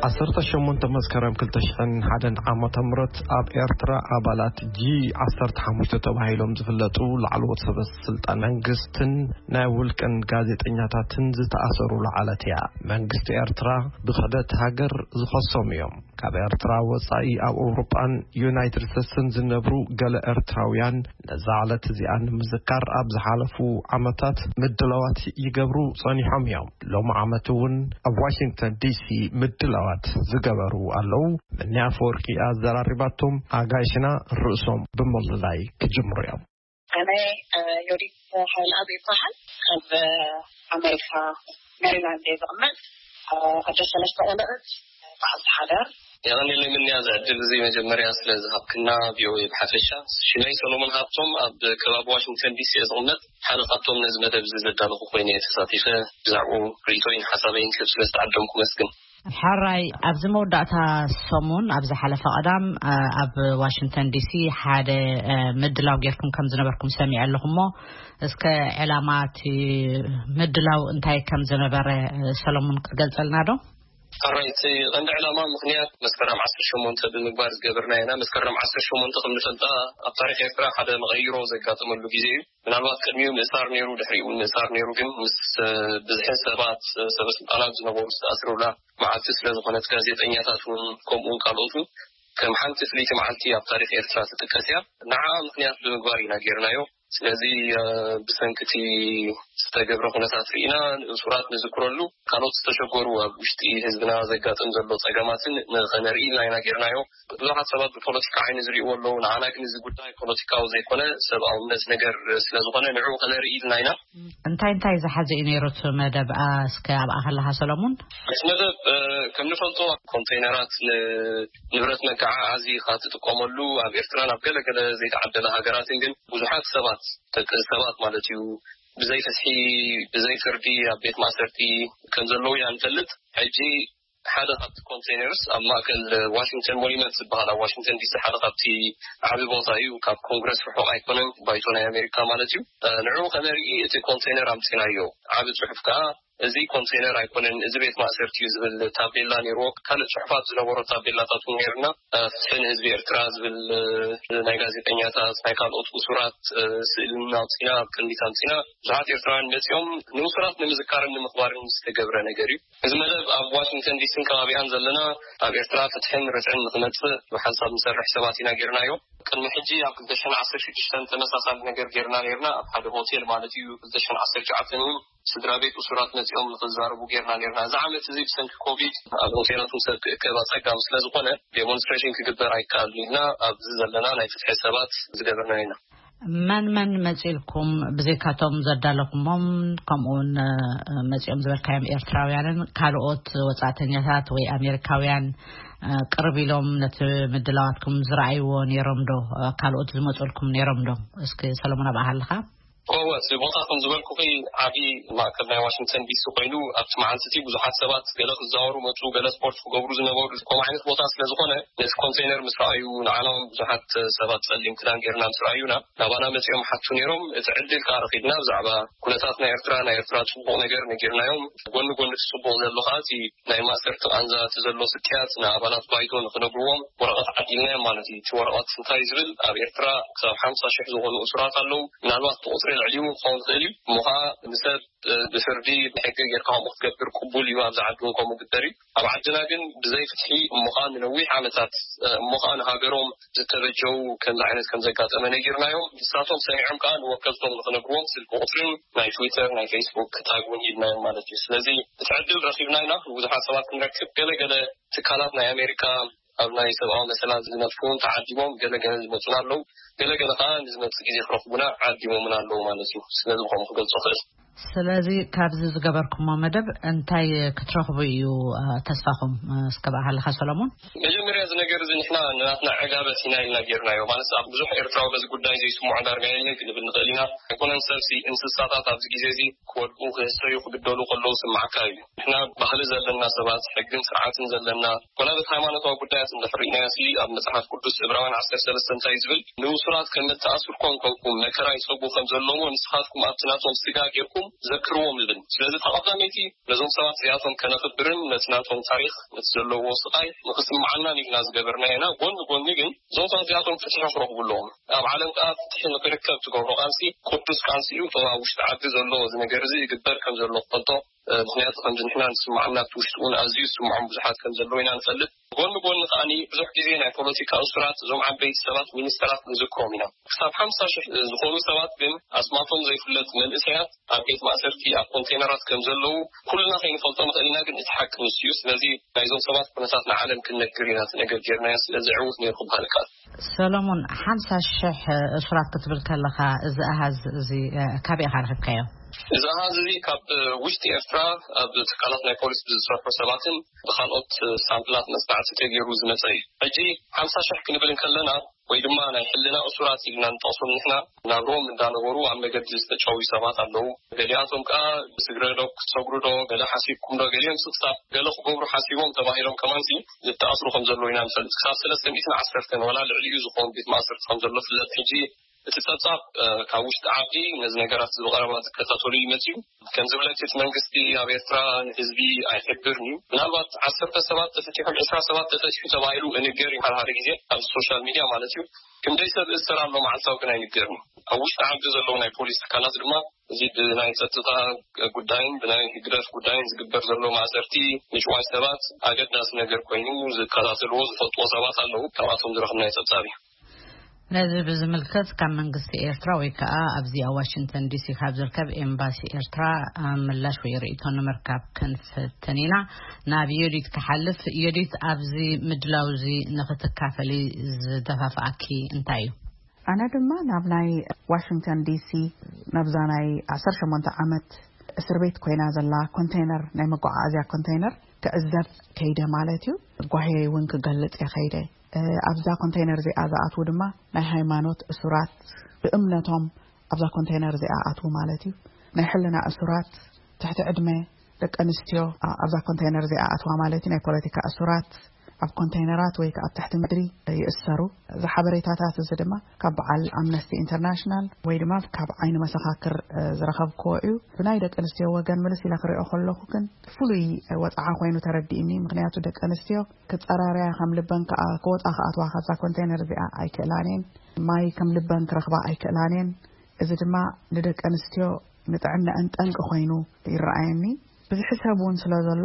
ዓሰርተ ሸሞንተ መስከረም ክልተ ሽሕን ሓደን ዓመተ ምህረት ኣብ ኤርትራ ኣባላት ጂ ዓሰርተ ሓሙሽተ ተባሂሎም ዝፍለጡ ላዕለዎት ሰበ ስልጣን መንግስትን ናይ ውልቅን ጋዜጠኛታትን ዝተኣሰርሉ ዓለት እያ። መንግስቲ ኤርትራ ብክሕደት ሃገር ዝኸሶም እዮም። ካብ ኤርትራ ወጻኢ ኣብ ኣውሮጳን ዩናይትድ ስቴትስን ዝነብሩ ገለ ኤርትራውያን ነዛ ዕለት እዚኣ ንምዝካር ኣብ ዝሓለፉ ዓመታት ምድላዋት ይገብሩ ጸኒሖም እዮም። ሎሚ ዓመት እውን ኣብ ዋሽንግተን ዲሲ ምድላዋት ዝገበሩ ኣለዉ። ምኒ ኣፈወርቂ ኣዘራሪባቶም ኣጋይሽና ርእሶም ብምልላይ ክጅምሩ እዮም። ኣነ ዮዲት ሓይልኣብ ይበሃል። ኣብ ኣሜሪካ ሜሪላንድ እየ ዝቕመጥ። ኣደ ሰለስተ ቆልዑት፣ በዓልቲ ሓዳር። የቐንየለይ ምንያ፣ እዚ ዕድል እዚ መጀመርያ ስለ ዝሃብክና ቪኦኤ ብሓፈሻ። ሽመይ ሰሎሞን ሃብቶም፣ ኣብ ከባቢ ዋሽንግተን ዲሲ እየ ዝቕመጥ። ሓደ ካብቶም ነዚ መደብ እዚ ዘዳለኹ ኮይነ እየ ተሳቲፈ። ብዛዕባኡ ርእይቶይን ሓሳበይን ክህብ ስለ ዝተዓደምኩ መስግን። ሕራይ፣ ኣብዚ መወዳእታ ሰሙን፣ ኣብ ዝሓለፈ ቀዳም፣ እ፣ ኣብ ዋሽንግተን ዲሲ ሓደ፣ እ፣ ምድላው ጌርኩም ከም ዝነበርኩም ሰሚዐ ኣለኹ እሞ፣ እስከ ዕላማ እቲ ምድላው እንታይ ከም ዝነበረ፣ እ፣ ሰሎሙን ክትገልጸልና ዶ? ሕራይ፣ እቲ ቀንዲ ዕላማ ምኽንያት መስከረም ዓሰርተ ሸሞንተ ብምግባር ዝገበርና ኢና። መስከረም ዓሰርተ ሸሞንተ ከም ንፈልጣ ኣብ ታሪኽ ኤርትራ ሓደ መቐይሮ ዘጋጠመሉ ግዜ እዩ። ምናልባት ቅድሚኡ ምእሳር ነይሩ፣ ድሕሪኡ እውን ምእሳር ነይሩ፣ ግን ምስ፣ እ፣ ብዝሒ ሰባት፣ እ፣ ሰበ ስልጣናት ዝነበሩ ዝተኣስሩላ መዓልቲ ስለ ዝኾነት፣ ጋዜጠኛታት እውን ከምኡ እውን ካልኦት እውን ከም ሓንቲ ፍልይቲ መዓልቲ ኣብ ታሪኽ ኤርትራ ትጥቀስ እያ። ንዓኣ ምኽንያት ብምግባር ኢና ጌርናዮ። ስለዚ፣ እ፣ ብሰንኪ እቲ ዝተገብረ ኩነታት ርኢና ንእሱራት ንዝክረሉ፣ ካልኦት ዝተሸገሩ ኣብ ውሽጢ ህዝብና ዘጋጥም ዘሎ ጸገማትን ንኸነርኢ ኢልና ኢና ጌርናዮ። ብዙሓት ሰባት ብፖለቲካ ዓይኒ ዝርእይዎ ኣለዉ። ንዓና ግን እዚ ጉዳይ ፖለቲካዊ ዘይኮነ ሰብኣውነት ነገር ስለ ዝኾነ ንዕኡ ከነርኢ ኢልና ኢና። እንታይ እንታይ ዝሓዘ እዩ ነይሩ እቲ መደብ? ኣ፣ እስከ ኣብኣ ከለኻ ሰሎሙን? እቲ መደብ፣ እ፣ ከም ንፈልጦ ኮንቴይነራት ንንብረት መጋዓዓዚ ኢኻ ትጥቀመሉ። ኣብ ኤርትራን ኣብ ገለገለ ዘይተዓደለ ሃገራትን ግን ብዙሓት ሰባት፣ ደቂ ሰባት ማለት እዩ፣ ብዘይ ፍትሒ፣ ብዘይ ፍርዲ ኣብ ቤት ማእሰርቲ ከም ዘለዉ ኢና ንፈልጥ። ሕጂ ሓደ ካብቲ ኮንቴይነርስ ኣብ ማእከል ዋሽንግተን ሞኒመንት ዝበሃል፣ ኣብ ዋሽንግተን ዲሲ ሓደ ካብቲ ዓቢ ቦታ እዩ። ካብ ኮንግረስ ርሑቕ ኣይኮነን፣ ባይቶ ናይ ኣሜሪካ ማለት እዩ። እ፣ ንዕኡ ከነርኢ እቲ ኮንቴይነር ኣምጺናዮ። ዓቢ ጽሑፍ ከኣ፣ "እዚ ኮንቴይነር ኣይኮነን፣ እዚ ቤት ማእሰርቲ እዩ" ዝብል ታቤላ ነይርዎ። ካልእ ጽሑፋት ዝነበሮ ታቤላታት እውን ነይርና። እ፣ "ፍትሒ ንህዝቢ ኤርትራ" ዝብል፣ እ፣ ናይ ጋዜጠኛታት፣ ናይ ካልኦት እሱራት፣ እ፣ ስእልን ኣውጺና ኣብ ቅድሚት ኣምጺና። ብዙሓት ኤርትራውያን መጺኦም ንእሱራት ንምዝካርን ንምኽባርን ዝተገብረ ነገር እዩ። እዚ መደብ ኣብ ዋሽንግተን ዲሲን ከባቢኣን ዘለና ኣብ ኤርትራ ፍትሕን ርትዕን ንኽመጽእ ብሓንሳብ ንሰርሕ ሰባት ኢና ጌርናዮ። ቅድሚ ሕጂ ኣብ ክልተ ሽሕን ዓሰርተ ሽዱሽተን ተመሳሳሊ ነገር ጌርና ኔርና፣ ኣብ ሓደ ሆቴል ማለት እዩ። ክልተ ሽሕን ዓሰርተ ትሽዓተን እውን ስድራ ቤት እሱራት መጺኦም ንኽዛረቡ ጌርና ኔርና። እዚ ዓመት እዚ ብሰንኪ ኮቪድ ኣብ ሆቴላት እውን ሰብ ክእከብ ኣጸጋሚ ስለ ዝኾነ ዴሞንስትሬሽን ክግበር ኣይከኣልን ኢልና ኣብዚ ዘለና ናይ ፍትሒ ሰባት ዝገበርናዮ ኢና። መን መን መጺእልኩም? ብዘይካቶም ዘዳለኹሞም፣ ከምኡውን፣ እ፣ መጺኦም ዝበልካዮም ኤርትራውያንን ካልኦት ወጻእተኛታት ወይ ኣሜሪካውያን፣ እ፣ ቅርብ ኢሎም ነቲ ምድላዋትኩም ዝረኣይዎ ነይሮም ዶ? ካልኦት ዝመጹልኩም ነይሮም ዶ? እስኪ ሰለሞን፣ ኣብኣ ኣለኻ? እወ፣ እቲ ቦታ ከም ዝበልኩኺ ዓቢ ማእከል ናይ ዋሽንግተን ዲሲ ኮይኑ፣ ኣብቲ መዓልቲ እቲ ብዙሓት ሰባት ገለ ክዛወሩ መጹ፣ ገለ ስፖርት ክገብሩ ዝነበሩ፣ ከምኡ ዓይነት ቦታ ስለ ዝኾነ፣ ነቲ ኮንቴይነር ምስ ረኣዩ፣ ንዓና እውን ብዙሓት ሰባት ጸሊም ክዳን ጌርና ምስ ረኣዩና፣ ናባና መጺኦም ሓቱ ነይሮም። እቲ ዕድል ከኣ ረኺብና፣ ብዛዕባ ኩነታት ናይ ኤርትራ፣ ናይ ኤርትራ ጽቡቕ ነገር ነጊርናዮም። ጎኒ ጎኒ እቲ ጽቡቕ ዘሎ ከኣ፣ እቲ ናይ ማእሰርቲ ቃንዛ፣ እቲ ዘሎ ስቅያት ንኣባላት ባይቶ ንኽነግርዎም ወረቐት ዓዲልናዮም ማለት እዩ። እቲ ወረቐት እንታይ እዩ ዝብል፣ ኣብ ኤርትራ ክሳብ ሓምሳ ሽሕ ዝኾኑ እሱራት ኣለዉ። ምናልባት ብቑጽሪ ልዕሊኡ ክኸውን ይኽእል እዩ። እሞ ኸዓ ንሰብ፣ እ፣ ብፍርዲ ብሕጊ ጌርካ ከምኡ ክትገብር ቅቡል እዩ። ኣብዚ ዓዲ እውን ከምኡ ግበር እዩ። ኣብ ዓድና ግን ብዘይ ፍትሒ እሞ ኸዓ ንነዊሕ ዓመታት፣ እ፣ እሞ ኸዓ ንሃገሮም ዝተበጀው ከምዚ ዓይነት ከም ዘጋጠመ ነጊርናዮም። ንሳቶም ሰሚዖም ከኣ ንወከልቶም ንኽነግርዎም ስልኪ ቁጽርን ናይ ትዊተር፣ ናይ ፌስቡክ ታግ እውን ሂብናዮም ማለት እዩ። ስለዚ እቲ ዕድል ረኺብና ኢና። ብዙሓት ሰባት ክንረክብ፣ ገለ ገለ ትካላት ናይ ኣሜሪካ ኣብ ናይ ሰብኣዊ መሰላት ዝነጥፉ እውን ተዓዲሞም፣ ገለ ገለ ዝመጹና ኣለዉ። ገለ ገለ ከኣ ንዝመጽእ ግዜ ክረኽቡና ዓዲሞምና ኣለዉ ማለት እዩ። ስለዚ ብኸምኡ ክገልጾ እኽእል። ስለዚ ካብዚ ዝገበርኩሞ መደብ እንታይ ክትረኽቡ እዩ፣ እ፣ ተስፋኹም? እ፣ እስከ ብኣኻ ኣለኻ ሰሎሞን። መጀመርያ እዚ ነገር እዚ ንሕና ንናትና ዕጋበት ኢና ኢልና ጌርናዮ። ማለት ኣብ ብዙሕ ኤርትራዊ በዚ ጉዳይ ዘይስምዖ ዳርጋ የለ ክንብል ንኽእል ኢና። ኣይኮነን ሰብሲ፣ እንስሳታት ኣብዚ ግዜ እዚ ክወድቁ፣ ክህሰዩ፣ ክግደሉ ከለዉ ስምዓካ እዩ። ንሕና ባህሊ ዘለና ሰባት፣ ሕግን ስርዓትን ዘለና፣ ኮነ በቲ ሃይማኖታዊ ጉዳያት እንድሕር ርኢናዮ ሲ፣ ኣብ መጽሓፍ ቅዱስ ዕብራውያን ዓሰርተ ሰለስተ እንታይ ዝብል? ንእሱራት ከም እተኣስሩ ኮንኩም መከራ ይጸግቡ ከም ዘለዉ ንስኻትኩም ኣብቲ ናቶም ስጋ ጌርኩም ዘክርዎም ይብል። ስለዚ፣ እቲ ቀዳመይቲ ነዞም ሰባት እዚኣቶም ከነኽብርን ነቲ ናቶም ታሪኽ፣ ነቲ ዘለውዎ ስቓይ ንኽስምዓናን ኢልና ዝገበርናዮ ኢና። ጎኒ ጎኒ ግን እዞም ሰባት እዚኣቶም ፍትሒ ክረኽቡ ኣለዎም። ኣብ ዓለም ከኣ ፍትሒ ንኽርከብ ትገብሮ ቃልሲ ቅዱስ ቃልሲ እዩ። እቶም ኣብ ውሽጢ ዓዲ ዘሎ እዚ ነገር እዚ ይግበር ከም ዘሎ ክፈልጦ፣ እ፣ ምኽንያቱ ከምዚ ንሕና ንስምዓና ኣብቲ ውሽጢ እውን ኣዝዩ ዝስምዖም ብዙሓት ከም ዘለዉ ኢና ንፈልጥ። ጎኒ ጎኒ ከኣኒ ብዙሕ ግዜ ናይ ፖለቲካ እሱራት፣ እዞም ዓበይቲ ሰባት፣ ሚኒስተራት ንዝክሮም ኢና። ክሳብ ሓምሳ ሽሕ ዝኾኑ ሰባት ግን ኣስማቶም ዘይፍለጥ መንእሰያት ኣብ ቤት ማእሰርቲ ኣብ ኮንቴነራት ከም ዘለዉ ኩልና ከይንፈልጦ ንኽእል ኢና፣ ግን እቲ ሓቂ ንሱ እዩ። ስለዚ ናይዞም ሰባት ኩነታት ንዓለም ክንነግር ኢና እቲ ነገር ጌርናዮ። ስለዚ ዕዉት ነይሩ ክበሃል ይከኣል። ሰሎሞን፣ ሓምሳ ሽሕ እሱራት ክትብል ከለኻ፣ እዚ ኣሃዝ እዚ፣ እ፣ ካበይ ኢኻ ረኺብካዮ? እዚ ኣሃዝ እዚ ካብ ውሽጢ ኤርትራ ኣብ ትካላት ናይ ፖሊስ ብዝሰርሑ ሰባትን ብኻልኦት ሳምፕላት መጽናዕቲ ተገይሩ ዝመጸ እዩ። ሕጂ ሓምሳ ሽሕ ክንብል እንከለና፣ ወይ ድማ ናይ ሕልና እሱራት ኢልና ንጠቕሶም ንሕና፣ ናብርኦም እንዳነበሩ ኣብ መገዲ ዝተጨውዩ ሰባት ኣለዉ። ገሊኣቶም ከኣ ስግረ ዶ ክትሰግሩ ዶ፣ ገለ ሓሲብኩም ዶ፣ ገሊኦም ስቕሳብ ገለ ክገብሩ ሓሲቦም ተባሂሎም ከማንሲ ዝተኣስሩ ከም ዘለዉ ኢና ንፈልጥ። ክሳብ ሰለስተ ሚእትን ዓሰርተን ዋላ ልዕሊኡ ዝኸውን ቤት ማእሰርቲ ከም ዘሎ ፍለጥ። ሕጂ እቲ ጸብጻብ፣ እ፣ ካብ ውሽጢ ዓዲ ነዚ ነገራት እዚ ብቐረባ ዝከታተሉ እዩ መጺኡ። ከም ዝብለኪ እቲ መንግስቲ ኣብ ኤርትራ ንህዝቢ ኣይሕብርን እዩ። ምናልባት ዓሰርተ ሰባት ተፈቲሖም፣ ዕስራ ሰባት ተፈቲሑ ተባሂሉ እንገር እዩ ሓደ ሓደ ግዜ ኣብዚ ሶሻል ሚድያ ማለት እዩ። ክንደይ ሰብ እሰር ኣሎ መዓልታዊ ግን ኣይንገርን እዩ። ኣብ ውሽጢ ዓዲ ዘለዉ ናይ ፖሊስ ትካላት ድማ እዚ ብናይ ጸጥታ ጉዳይን ብናይ ህግደፍ ጉዳይን ዝግበር ዘሎ ማእሰርቲ ምጭዋይ ሰባት ኣገዳሲ ነገር ኮይኑ ዝከታተልዎ ዝፈልጥዎ ሰባት ኣለዉ። ካብኣቶም ዝረኽብናዮ ጸብጻብ እዩ። ነዚ ብዝምልከት ካብ መንግስቲ ኤርትራ ወይ ከኣ ኣብዚ ኣብ ዋሽንግተን ዲሲ ካብ ዝርከብ ኤምባሲ ኤርትራ ምላሽ ወይ ርእይቶ ንምርካብ ክንፍትን ኢና። ናብ ዮዲት ክሓልፍ። ዮዲት፣ ኣብዚ ምድላው እዚ ንኽትካፈሊ ዝደፋፍኣኪ እንታይ እዩ? ኣነ ድማ ናብ ናይ ዋሽንግተን ዲሲ፣ ናብዛ ናይ ዓሰርተ ሸሞንተ ዓመት እስር ቤት ኮይና ዘላ ኮንቴነር፣ ናይ መጓዓዓዝያ ኮንቴነር ክዕዘብ ከይደ ማለት እዩ። ጓሄ እውን ክገልጽ እየ ከይደ። እ፣ ኣብዛ ኮንቴነር እዚኣ ዝኣትዉ ድማ ናይ ሃይማኖት እሱራት፣ ብእምነቶም ኣብዛ ኮንቴነር እዚኣ ኣትዉ ማለት እዩ። ናይ ሕልና እሱራት፣ ትሕቲ ዕድመ ደቂ ኣንስትዮ፣ ኣ-፣ ኣብዛ ኮንቴነር እዚኣ ኣትዋ ማለት እዩ። ናይ ፖለቲካ እሱራት ኣብ ኮንቴነራት ወይ ከኣ ኣብ ትሕቲ ምድሪ ይእሰሩ። እዚ ሓበሬታታት እዚ ድማ ካብ በዓል ኣምነስቲ ኢንተርናሽናል ወይ ድማ ካብ ዓይኒ መሰኻክር፣ እ፣ ዝረኸብክዎ እዩ። ብናይ ደቂ ኣንስትዮ ወገን ምልስ ኢለ ክሪኦ ከለኹ ግን ፍሉይ ወጽዓ ኮይኑ ተረዲእኒ። ምኽንያቱ ደቂ ኣንስትዮ ክጸራረያ ከም ልበን ከኣ ክወጻ ክኣትዋ ካብዛ ኮንቴነር እዚኣ ኣይክእላን እየን። ማይ ከም ልበን ክረኽባ ኣይክእላን እየን። እዚ ድማ ንደቂ ኣንስትዮ ንጥዕናኣን ጠንቂ ኮይኑ ይረኣየኒ። ብዝሒ ሰብ እውን ስለ ዘሎ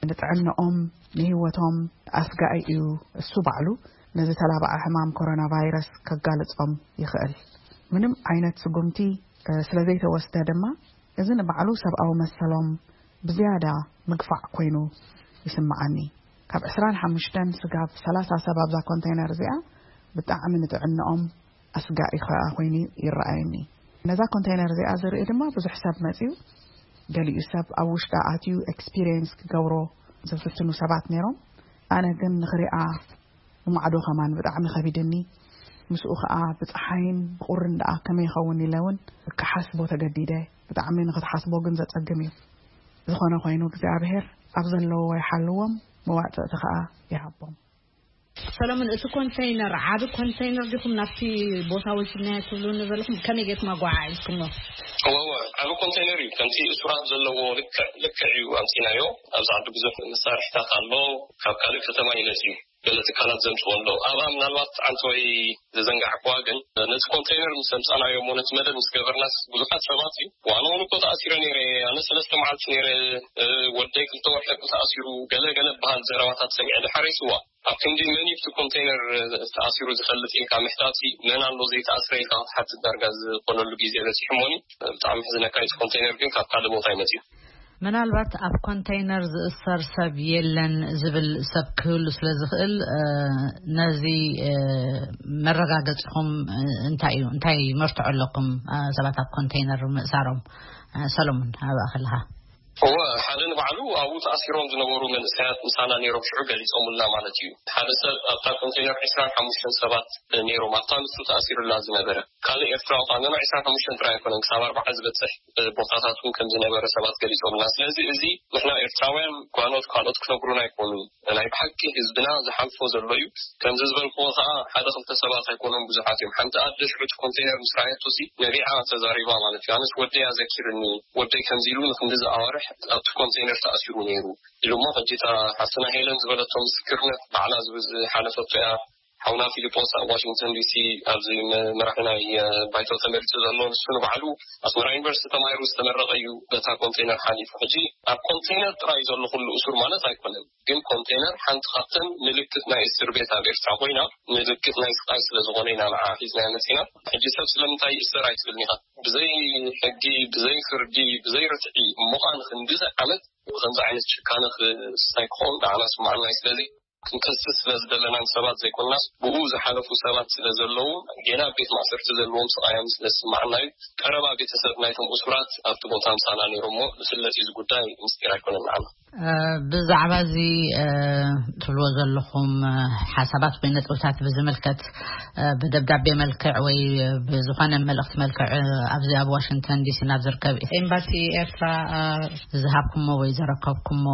ንጥዕናኦም ንህይወቶም ኣስጋኢ እዩ። እሱ ባዕሉ ነዚ ተላባዒ ሕማም ኮሮና ቫይረስ ከጋልጾም ይኽእል። ምንም ዓይነት ስጉምቲ፣ እ፣ ስለ ዘይተወስደ ድማ እዚ ንባዕሉ ሰብኣዊ መሰሎም ብዝያዳ ምግፋዕ ኮይኑ ይስምዓኒ። ካብ ዕስራን ሓሙሽተን ስጋብ ሰላሳ ሰብ ኣብዛ ኮንቴነር እዚኣ ብጣዕሚ ንጥዕናኦም ኣስጋኢ ከኣ ኮይኑ ይረኣየኒ። ነዛ ኮንቴነር እዚኣ ዝርኢ ድማ ብዙሕ ሰብ መጺኡ፣ ገሊኡ ሰብ ኣብ ውሽጣ ኣትዩ ኤክስፒሪየንስ ክገብሮ ዝፍትኑ ሰባት ነይሮም። ኣነ ግን ንኽሪኣ ንማዕዶ ከማን ብጣዕሚ ከቢድኒ። ምስኡ ከኣ ብጸሓይን ብቁርን ደኣ ከመይ ይኸውን ኢለ እውን ክሓስቦ ተገዲደ። ብጣዕሚ ንኽትሓስቦ ግን ዘጸግም እዩ። ዝኾነ ኮይኑ እግዚኣብሔር ኣብ ዘለውዎ ይሓልዎም፣ መዋጽእቲ ከኣ ይሃቦም። ሰለሙን፣ እቲ ኮንተይነር ዓቢ ኮንተይነር ዲኹም ናብቲ ቦታ ወሲድናዮ ትብሉኒ ዘለኹም? ከመይ ጌርኩም ኣጓዓዒዝኩሞ? እወ፣ እወ፣ ዓቢ ኮንተይነር እዩ። ከምቲ እሱራት ዘለዎ ልክዕ፣ ልክዕ እዩ ኣምጺናዮ። ኣብዚ ዓዲ ብዙሕ መሳርሕታት ኣሎ፣ ካብ ካልእ ከተማ ይመጽእ እዩ። ገለ ትካላት ዘምጽዎ ኣለዉ። ኣብኣ ምናልባት ኣንተ ወይ ዝዘንጋዕክዋ ግን፣ ነቲ ኮንቴይነር ምስ ኣምጻእናዮ እሞ ነቲ መደብ ምስ ገበርናስ ብዙሓት ሰባት እዩ። ዋና እውን እኮ ተኣሲረ ነይረ። ኣነ ሰለስተ መዓልቲ ነይረ፣ እ፣ ወደይ ክልተ ወርሒ እኮ ተኣሲሩ፣ ገለ ገለ በሃል ዘረባታት ሰሚዐ። ድሓር ይስዋ። ኣብ ክንዲ መን እዩ እቲ ኮንቴይነር ተኣሲሩ ዝፈልጥ ኢልካ ምሕታትሲ፣ መን ኣሎ ዘይተኣስረ ኢልካ ክትሓትት ዳርጋ ዝኾነሉ ግዜ በጺሑ እሞኒ። ብጣዕሚ ሕዝነካ እዩ። እቲ ኮንቴይነር ግን ካብ ካልእ ቦታ እዩ መጺኡ። ምናልባት ኣብ ኮንቴይነር ዝእሰር ሰብ የለን ዝብል ሰብ ክህሉ ስለ ዝኽእል፣ እ፣ ነዚ፣ እ፣ መረጋገጺኹም፣ እ፣ እንታይ እዩ? እንታይ መርትዖ ኣለኩም? እ፣ ሰባት ኣብ ኮንቴይነር ምእሳሮም? እ፣ ሰሎሞን፣ ኣብኣ ከለኻ። እወ፣ ሓደ ንባዕሉ ኣብኡ ተኣሲሮም ዝነበሩ መንእሰያት ምሳና ነይሮም ሽዑ ገሊጾምልና ማለት እዩ። ሓደ ሰብ ኣብታ ኮንቴይነር ዕስራን ሓሙሽተን ሰባት ነይሮም ኣብታ ንሱ ተኣሲሩላ ዝነበረ። ካልእ ኤርትራዊ ኸኣ ገና ዕስራን ሓሙሽተን ጥራይ ኣይኮነን፣ ክሳብ ኣርባዓ ዝበጽሕ ቦታታት እውን ከም ዝነበረ ሰባት ገሊጾምልና። ስለዚ እዚ ንሕና ኤርትራውያን ጓኖት ካልኦት ክነግሩና ኣይኮኑን። ናይ ብሓቂ ህዝብና ዝሓልፎ ዘሎ እዩ። ከምዚ ዝበልክዎ ኸኣ ሓደ ክልተ ሰባት ኣይኮኑን፣ ብዙሓት እዮም። ሓንቲ ኣደ ሽዑ እቲ ኮንቴነር ምስ ረኣየቶሲ ነቢዓ ተዛሪባ ማለት እዩ። ኣነስ ወደይ ኣዘኪርኒ፣ ወደይ ከምዚ ኢሉ ንክንድዚ ኣዋርሕ ኣብቲ ኮንቴነር ተኣሲሩ ነይሩ ኢሉ እሞ፣ ሕጂ እታ ሓፍትና ሄለን ዝበለቶ ምስክርነት ባዕላ ዝብ-፣ ዝሓለፈቶ እያ። ሓውና ፊሊጶስ ኣብ ዋሽንግተን ዲሲ ኣብዚ መ-፣ መራሒ ናይ፣ እ፣ ባይቶ ተመሪጹ ዘሎ፣ ንሱ ንባዕሉ ኣስመራ ዩኒቨርሲቲ ተማሂሩ ዝተመረቐ እዩ። በታ ኮንቴነር ሓሊፉ። ሕጂ ኣብ ኮንቴነር ጥራይ ዘሎ ኩሉ እሱር ማለት ኣይኮነን፣ ግን ኮንቴነር ሓንቲ ካብተን ምልክት ናይ እስር ቤት ኣብ ኤርትራ ኮይና፣ ምልክት ናይ ስቃይ ስለ ዝኾነ ኢና ንዓ ሒዝና መጺና። ሕጂ ሰብ ስለምንታይ ይእሰር ኣይትብልኒ ኢኻ። ብዘይ ሕጊ፣ ብዘይ ፍርዲ፣ ብዘይ ርትዒ እሞ ኸኣ ንክንድዚ ዓመት ብኸምዚ ዓይነት ጭካነ ክስታይ ክኸውን ንዓና ስምዓና እዩ። ስለዚ ክንከስስ ስለ ዝደለናን ሰባት ዘይኮንናስ፣ ብኡ ዝሓለፉ ሰባት ስለ ዘለዉ፣ ጌና ኣብ ቤት ማእሰርቲ ዘለዎም ስቓዮም ስለ ዝስምዓና እዩ። ቀረባ ቤተሰብ ናይቶም እሱራት ኣብቲ ቦታ ምሳና ነይሮም እሞ፣ ዝፍለጥ እዩ፣ እዚ ጉዳይ ምስጢር ኣይኮነን ንዓና። እ፣ ብዛዕባ እዚ፣ እ፣ ትብልዎ ዘለኹም፣ እ፣ ሓሳባት ወይ ነጥብታት ብዝምልከት፣ እ፣ ብደብዳቤ መልክዕ ወይ ብዝኾነ መልእኽቲ መልክዕ፣ እ፣ ኣብዚ ኣብ ዋሽንግተን ዲሲ ናብ ዝርከብ ኤምባሲ ኤርትራ፣ እ፣ ዝሃብኩሞ ወይ ዘረከብኩሞ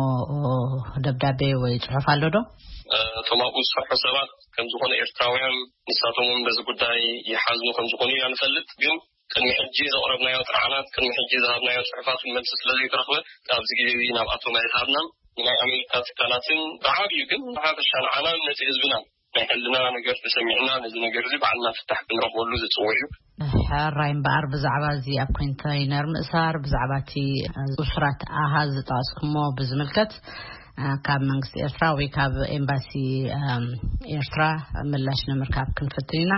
ደብዳቤ ወይ ጽሑፍ ኣሎ ዶ? እቶም ኣብኡ ዝሰርሑ ሰባት ከም ዝኾነ ኤርትራውያን ንሳቶም እውን በዚ ጉዳይ ይሓዝኑ ከም ዝኾኑ ኢና ንፈልጥ። ግን ቅድሚ ሕጂ ዘቕረብናዮ ጥርዓናት፣ ቅድሚ ሕጂ ዝሃብናዮ ጽሑፋት መልሲ ስለ ዘይተረኽበ፣ ኣብዚ ግዜ እዚ ናብኣቶም ኣይተሃብናን። ንናይ ኣሜሪካ ትካላትን ብዓብዩ ግን ብሓፈሻ ንዓናን ነቲ ህዝብና ናይ ሕልና ነገር ተሰሚዕና፣ ነዚ ነገር እዚ ባዕልና ፍታሕ ክንረኽበሉ ዝጽውዕ እዩ። ሕራይ እምበኣር፣ ብዛዕባ እዚ ኣብ ኮንተይነር ምእሳር፣ ብዛዕባ እቲ እሱራት ኣሃዝ ዝጠቐስኩሞ ብዝምልከት፣ እ፣ ካብ መንግስቲ ኤርትራ ወይ ካብ ኤምባሲ፣ እም፣ ኤርትራ ምላሽ ንምርካብ ክንፍትን ኢና።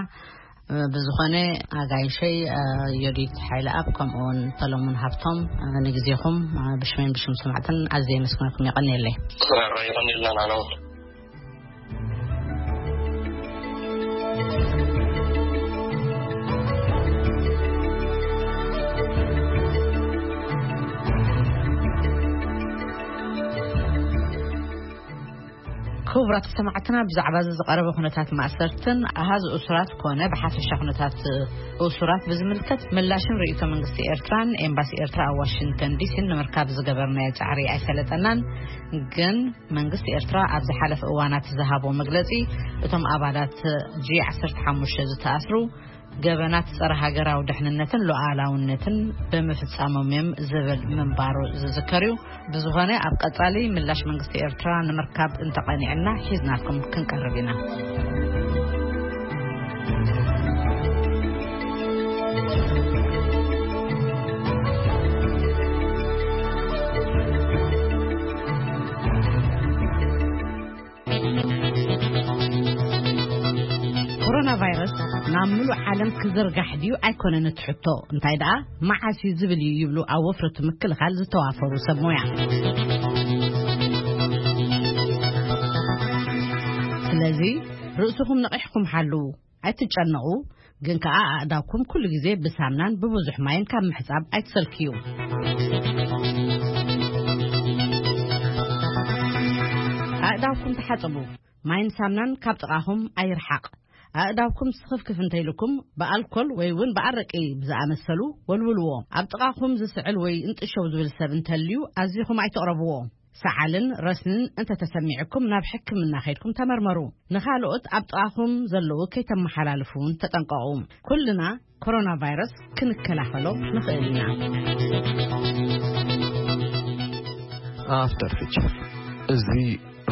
እ፣ ብዝኾነ ኣጋይሸይ፣ እ፣ ዮዲት ሓይለኣብ ከምኡውን ሰሎሞን ሃብቶም፣ እ፣ ንግዜኹም፣ እ፣ ብሽመይን ብሽም ሰማዕትን ኣዝየ የመስግነኩም። የቐንየለይ። ሕራይ፣ የቐንየልና ንዓና እውን። ክቡራት ሰማዕትና፣ ብዛዕባ እዚ ዝቐረበ ኩነታት ማእሰርትን ኣሃዝ እሱራት ኮነ ብሓፈሻ ኩነታት እሱራት ብዝምልከት ምላሽን ርእይቶ መንግስቲ ኤርትራን ኤምባሲ ኤርትራ ኣብ ዋሽንግተን ዲሲን ንምርካብ ዝገበርናዮ ጻዕሪ ኣይሰለጠናን። ግን መንግስቲ ኤርትራ ኣብ ዝሓለፈ እዋናት ዝሃቦ መግለጺ፣ እቶም ኣባላት ጂ ዓሰርተ ሓሙሽተ ዝተኣስሩ ገበናት ጸረ ሃገራዊ ድሕንነትን ሉዓላውነትን ብምፍጻሞም እዮም ዝብል ምንባሩ ዝዝከር እዩ። ብዝኾነ፣ ኣብ ቀጻሊ ምላሽ መንግስቲ ኤርትራ ንምርካብ እንተቐኒዕና ሒዝናልኩም ክንቀርብ ኢና። ኮሮና ቫይረስ ናብ ምሉእ ዓለም ክዝርጋሕ ድዩ ኣይኮነን እቲ ሕቶ፣ እንታይ ደኣ መዓስ እዩ ዝብል እዩ ይብሉ ኣብ ወፍሪ እቲ ምክልኻል ዝተዋፈሩ ሰብ ሞያ። ስለዚ ርእስኹም ነቒሕኩም ሓልዉ፣ ኣይትጨነቑ፣ ግን ከኣ ኣእዳውኩም ኩሉ ግዜ ብሳምናን ብብዙሕ ማይን ካብ ምሕጻብ ኣይትሰልክዩ። ኣእዳውኩም ተሓጸቡ። ማይን ሳምናን ካብ ጥቓኹም ኣይርሓቕ። ኣእዳውኩም ስኽፍክፍ እንተኢልኩም ብኣልኮል ወይ እውን ብኣረቂ ብዝኣመሰሉ ወልውልዎ። ኣብ ጥቓኹም ዝስዕል ወይ እንጥሸው ዝብል ሰብ እንተልዩ ኣዚኹም ኣይትቕረብዎ። ሰዓልን ረስንን እንተተሰሚዕኩም ናብ ሕክምና ከይድኩም ተመርመሩ። ንኻልኦት ኣብ ጥቓኹም ዘለዉ ከይተመሓላልፉ እውን ተጠንቀቑ። ኩልና ኮሮና ቫይረስ ክንከላኸሎ ንኽእል ኢና። ኣፍተር ፊቸር። እዚ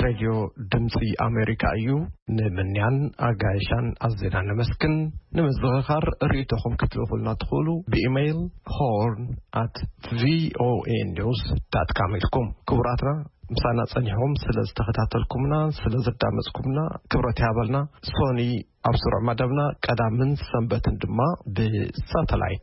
ሬድዮ ድምፂ ኣሜሪካ እዩ። ንምንያን ኣጋይሻን ኣዝና ነመስግን። ንምዝኽኻር ርእይቶኹም ክትልእኹልና ትኽእሉ ብኢሜይል ሆርን ኣት ቪኦኤ ኒውስ ዳት ካም ኢልኩም። ክቡራትና፣ ምሳና ጸኒሕኩም ስለ ዝተኸታተልኩምና፣ ስለ ዘዳመጽኩምና ክብረት ይሃበልና። ሶኒ ኣብ ስሩዕ መደብና ቀዳምን ሰንበትን ድማ ብሳተላይት